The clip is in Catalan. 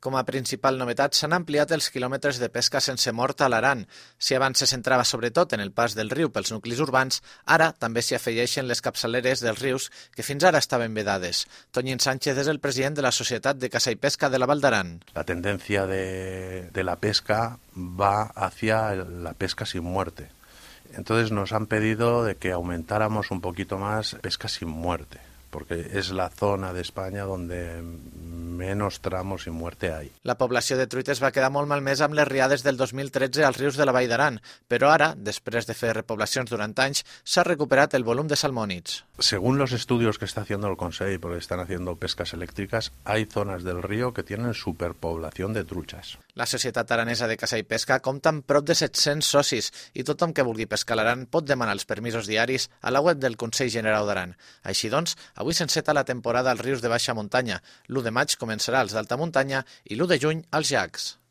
Com a principal novetat, s'han ampliat els quilòmetres de pesca sense mort a l'Aran. Si abans se centrava sobretot en el pas del riu pels nuclis urbans, ara també s'hi afegeixen les capçaleres dels rius que fins ara estaven vedades. Toñín Sánchez és el president de la Societat de Caça i Pesca de la Val d'Aran. La tendencia de la pesca va hacia la pesca sin muerte. Entonces nos han pedido de que aumentáramos un poquito más pesca sin muerte, porque es la zona de España donde menos tramos sin muerte hay. La població de truites va quedar molt malmesa amb les riades del 2013 als rius de la Vall d'Aran, però ara, després de fer repoblacions durant anys, s'ha recuperat el volum de salmònids. Según los estudios que está haciendo el Consell, porque están haciendo pescas eléctricas, hay zonas del río que tienen superpoblación de truchas. La Societat Aranesa de Caça i Pesca compta amb prop de 700 socis i tothom que vulgui pescar a l'Aran pot demanar els permisos diaris a la web del Consell General d'Aran. Així doncs, avui s'enceta la temporada als rius de baixa muntanya. L'1 de maig començarà als d'alta muntanya i l'1 de juny als llacs.